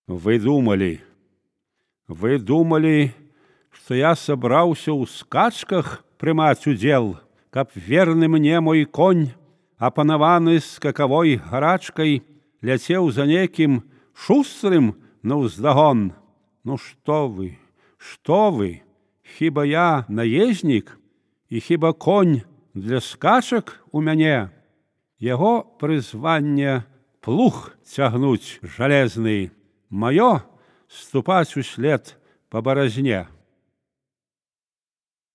Вы думали, што я сабраўся ў скачках прымаць удзел, каб верны мне мой конь, апанаваны скакавой гарачкай, ляцеў за некім шустрым наўздагон. Ну што вы, хіба я наезнік, і хіба конь для скачак у мяне? Яго прызванне плуг цягнуць жалезны, маё ступаць услед па баразне.